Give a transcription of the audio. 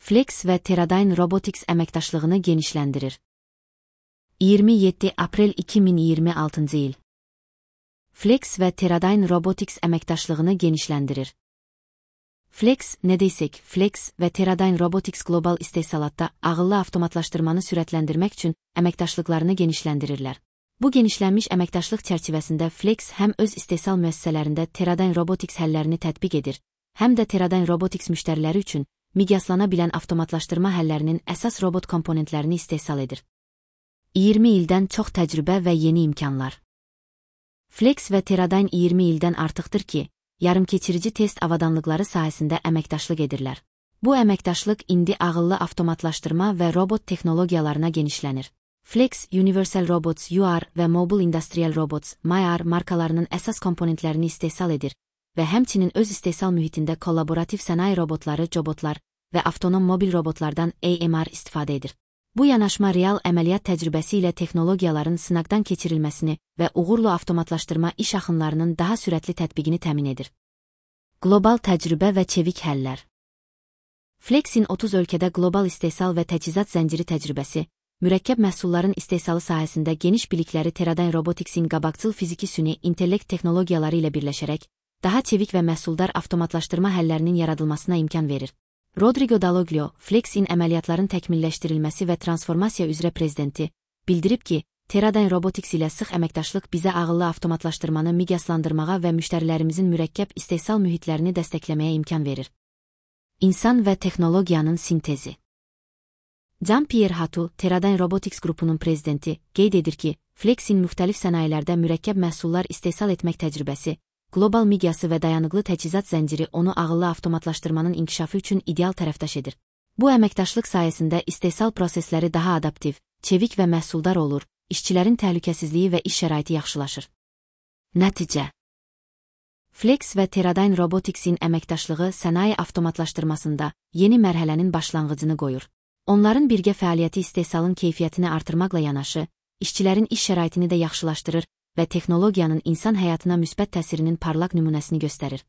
Flex və Teradyne Robotics əməkdaşlığını genişləndirir. 27 aprel 2026 il. Flex və Teradyne Robotics əməkdaşlığını genişləndirir. Flex, nə desək, Flex və Teradyne Robotics qlobal istehsalatda ağıllı avtomatlaşdırmanı sürətləndirmək üçün əməkdaşlıqlarını genişləndirirlər. Bu genişlənmiş əməkdaşlıq çərçivəsində Flex həm öz istehsal müəssisələrində Teradyne Robotics həllərini tətbiq edir, həm də Teradyne Robotics müştəriləri üçün miqyaslana bilən avtomatlaşdırma həllərinin əsas robot komponentlərini istehsal edir. 20 ildən çox təcrübə və yeni imkanlar. Flex və Teradyne 20 ildən artıqdır ki, yarımkeçirici test avadanlıqları sahəsində əməkdaşlıq edirlər. Bu əməkdaşlıq indi ağıllı avtomatlaşdırma və robot texnologiyalarına genişlənir. Flex, Universal Robots UR və Mobile Industrial Robots MIR markalarının əsas komponentlərini istehsal edir və həmçinin öz istehsal mühitində kollaborativ sənaye robotları, cobotlar və avtonom mobil robotlardan AMR istifadə edir. Bu yanaşma real əməliyyat təcrübəsi ilə texnologiyaların sınaqdan keçirilməsini və uğurlu avtomatlaşdırma iş axınlarının daha sürətli tətbiqini təmin edir. Qlobal təcrübə və çevik həllər. Flexin 30 ölkədə qlobal istehsal və təchizat zənciri təcrübəsi, mürəkkəb məhsulların istehsalı sahəsində geniş bilikləri Teradyne Robotics'in qabaqcıl fiziki süni intellekt texnologiyaları ilə birləşərək, daha çevik və məhsuldar avtomatlaşdırma həllərinin yaradılmasına imkan verir. Rodrigo Dalloglio, Flexin əməliyyatların təkmilləşdirilməsi və transformasiya üzrə prezidenti, bildirib ki, Teradyne Robotics ilə sıx əməkdaşlıq bizə ağıllı avtomatlaşdırmanı miqyaslandırmağa və müştərilərimizin mürəkkəb istehsal mühitlərini dəstəkləməyə imkan verir. İnsan və texnologiyanın sintezi. Jean-Pierre Hatu, Teradyne Robotics qrupunun prezidenti, qeyd edir ki, Flexin müxtəlif sənayelərdə mürəkkəb məhsullar istehsal etmək təcrübəsi, qlobal miqyası və dayanıqlı təchizat zənciri onu ağıllı avtomatlaşdırmanın inkişafı üçün ideal tərəfdaş edir. Bu əməkdaşlıq sayəsində istehsal prosesləri daha adaptiv, çevik və məhsuldar olur, işçilərin təhlükəsizliyi və iş şəraiti yaxşılaşır. Nəticə. Flex və Teradyne Robotics'in əməkdaşlığı sənaye avtomatlaşdırmasında yeni mərhələnin başlanğıcını qoyur. Onların birgə fəaliyyəti istehsalın keyfiyyətini artırmaqla yanaşı, işçilərin iş şəraitini də yaxşılaşdırır və texnologiyanın insan həyatına müsbət təsirinin parlaq nümunəsini göstərir.